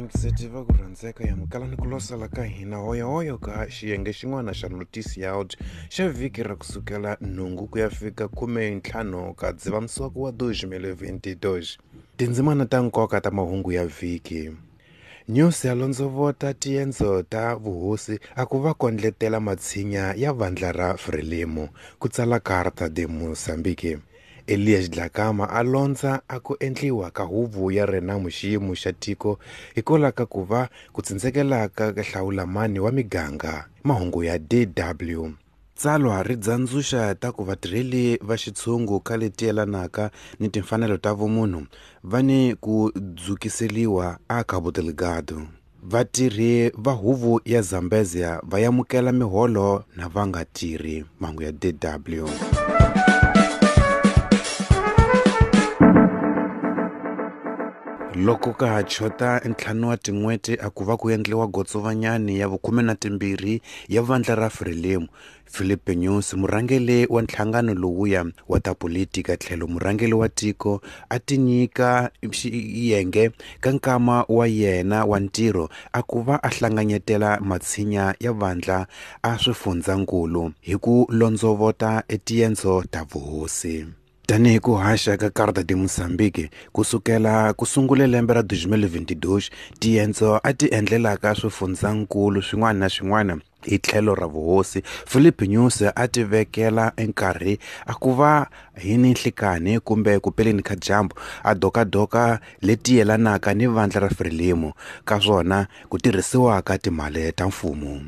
Vayingiseti va ku rhandzeka hi amukela ni ku losela ka hina hoyohoyo ka xiyenge xin'wana xa notisi ya out xa vhiki ra kusukela nhungu ku ya fika 15 ka Dzivamisoko wa 2022. Tindzimana ta nkoka ta mahungu ya vhiki. News ya londzovota tiendzo ta vuhosi a ku va kondletela matshinya ya vandla ra Frelimo, ku tsala Carta de Moçambique. Elias Dlakama a londza a ku endliwa ka huvo ya Renamo xiyimo xa tiko hikwalaho ka ku va ku tsindzekelaka ka hlawulamani wa miganga. Mahungu ya DW. Tsalwa ri dzandzuxa ta ku vatirheli va xitshungu ka leti yelanaka ni timfanelo ta vumunhu va ni ku dzukiseliwa a Cabo Delgado. Vatirhi va huvo ya Zambezia va yamukela miholo na va nga tirhi. Mahungu ya DW. Loko ka ha chota ntlhanu wa tin'hweti a ku va ku endliwa gotsovanyani ya vu-12 ya vandla ra Frelimo, Filipe Nyusi, murhangeri wa nhlangano lowuya wa ta politika tlhelo murhangeri wa tiko, a tinyika xiyenge ka nkama wa yena wa ntirho a ku va a hlanganyetela matshinya ya vandla a swifundzankulu hi ku londzovota etiendzo ta vuhosi. Tanihi ku haxa ka Carta de Moçambique ku sukela ku sungule lembe ra 2022, tiendzo a ti endlelaka swifundzankulu swin'wana na swin'wana hi tlhelo ra vuhosi, Filipe Nyusi a ti vekela enkarhi a ku va hi ni nhlikanhi kumbe ku peleni ka dyambu a dokadoka leti yelanaka ni vandla ra Frelimo, ka swona ku tirhisiwaka timali ta mfumo.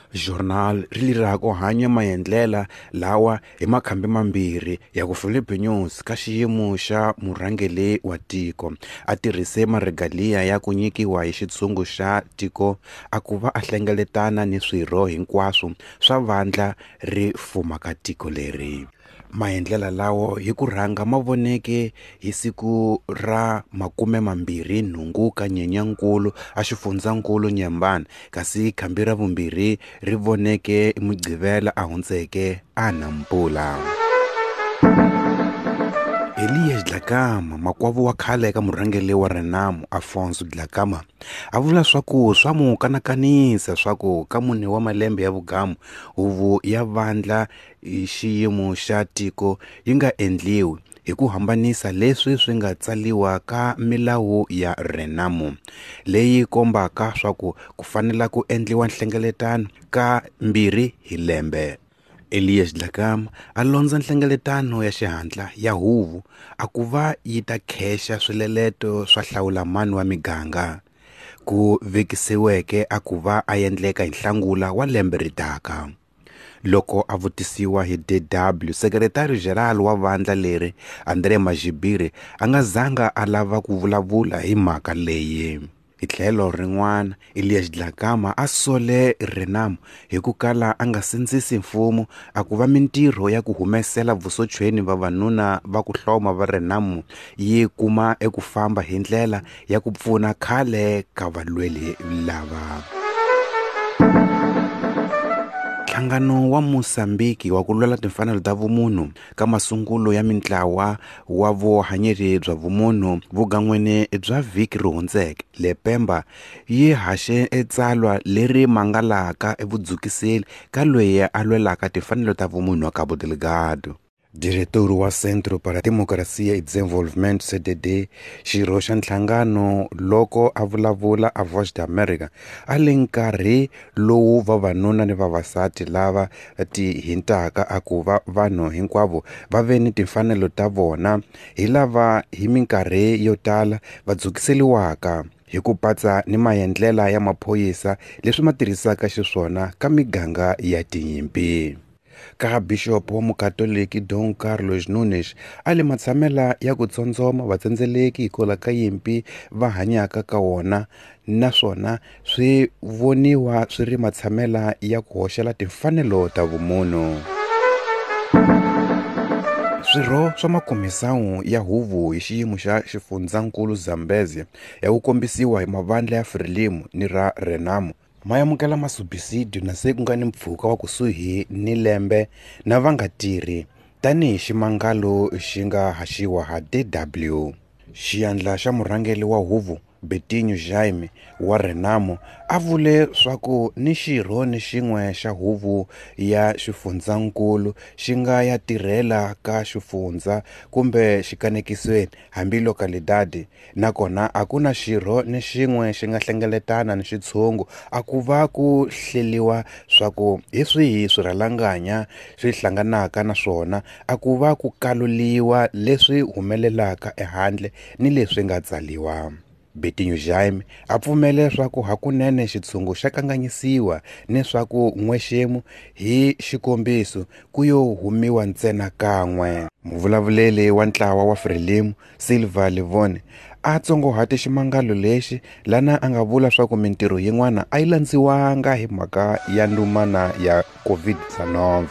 Journal ri lira ku hanya maendlela lawa hi makhambi mambirhi ya ku Filipe Nyusi ka xiyimo xa murhangeri wa tiko a tirhise maregalia ya ku nyikiwa hi xitshungu xa tiko a ku va a hlengeletana ni swirho hinkwaswo swa vandla ri fumaka tiko leri. Maendlela lawo hi ku rhanga ma voneke hi siku ra 28 ka Nyenyankulu a xifundzankulu Nyembani, kasi khambi ra vumbirhi ri voneke Mugqivela a hundzeke a Nampula. Elias Dlakama, makwavo wa khale ka murhangeri wa Renamo Afonso Dlakama, a vula swa ku swa mu kanakanisa swa ku ka mune wa malembe ya vugamu huvo ya vandla hi xiyimo xa tiko yi nga endliwi hi ku hambanisa leswi swi nga tsaliwa ka milawu ya Renamo leyi kombaka swa ku ku fanela ku endliwa nhlengeletano ka 2 hi lembe. Elias Dlakama a londza nhlengeletano ya xihatla ya huvo a ku va yi ta khexa swileleto swa hlawulamani wa miganga ku vekisiweke a ku va a endleka hi Nhlangula wa lembe ri taka. Loko a vutisiwa hi DW, Sekretari General wa vandla leri André Magibire a nga zanga a lava ku vulavula hi mhaka leyi. Hi tlhelo rin'wana, Elias Dlakama a sole Renamo hi ku kala a nga sindzisi mfumo a ku va mintirho ya ku humesela vusochweni vavanuna va ku hloma va Renamo yi kuma eku famba hi ndlela ya ku pfuna khale ka valweli lava. Nhlangano wa Mozambique wa ku lwela timfanelo ta vumunhu ka masungulo ya mintlawa wa vuhanyeri bya vumunhu vugan'wini bya vhiki ri hundzeke, le Pemba yi haxe etsalwa leri mangalaka evudzukiseli ka loyi a lwelaka timfanelo ta vumunhu wa Cabo Delgado. Diretor wa Centro para a Democracia e Desenvolvimento CDD, xirho xa nhlangano loko a vulavula a Voz da América, a le nkarhi lowu vavanuna ni vavasati lava ti hintaka a ku va vanhu hinkwavo va ve ni timfanelo ta vona hi lava hi minkarhi yo tala va dzukiseliwaka hi ku patsa ni maendlela ya maphorisa leswi ma tirhisaka xiswona ka miganga ya tinyimpi. Ka Bishop wa Mukatoliki Dom Carlos Nunes a le matshamela ya ku tsondzoma vatsendzeleki hikwalaho ka yimpi va hanyaka ka wona, naswona swi voniwa swi ri matshamela ya ku hoxela timfanelo ta vumunhu. Swirho swa makomisawu ya huvo hi xiyimo xa xifundzankulu Zambezia ya ku kombisiwa hi mavandla ya Frelimo ni ra Renamo ma amukela masubisidio na se ku nga ni mpfhuka wa kusuhi ni lembe na va nga tirhi, tanihi ximangalo xi nga haxiwa ha DW. Xiyandla xa murhangeri wa huvo Betinho Jaime wa Renamo a vule swaku ni xirho ni xin'we xa huvo ya xifundzankulu xi nga ya tirhela ka xifundza kumbe xikanekisweni hambi localidade, nakona a ku na xirho ni xin'we xi nga hlengeletana ni xitshungu a ku va ku hleliwa swaku hi swihi swirhalanganya swi hlanganaka na swona, a ku va ku kaluliwa leswi humelelaka ehandle ni leswi nga tsaliwa. Betinho Jaime a pfumele leswaku hakunene xitshungu xa kanganyisiwa ni swaku n'wexemu hi xikombiso ku yo humiwa ntsena kan'we. Muvulavuleri wa ntlawa wa Frelimo, Silva Livone, a tsongohate ximangalo lexi lana a nga vula swaku mintirho yin'wana a yi landziwanga hi mhaka ya ndumana ya COVID-19.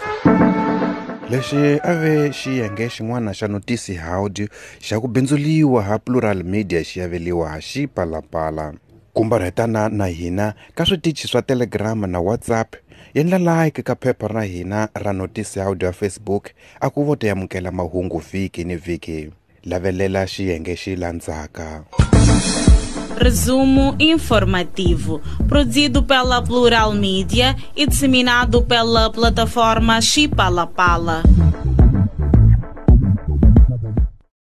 Lexi a ve xiyenge xin'wana xa Notícia Áudio xa ku bindzuliwa ha Plural Media xi aveliwa ha Xipalapala. Kumbarhetana na hina ka switichi swa Telegram na WhatsApp, endla like ka phepha ra hina ra Notícia Áudio ya Facebook a ku vo ta amukela mahungu vhiki ni vhiki. Lavelela xiyenge xi landzaka. Resumo informativo, produzido pela Plural Mídia e disseminado pela plataforma Xipalapala.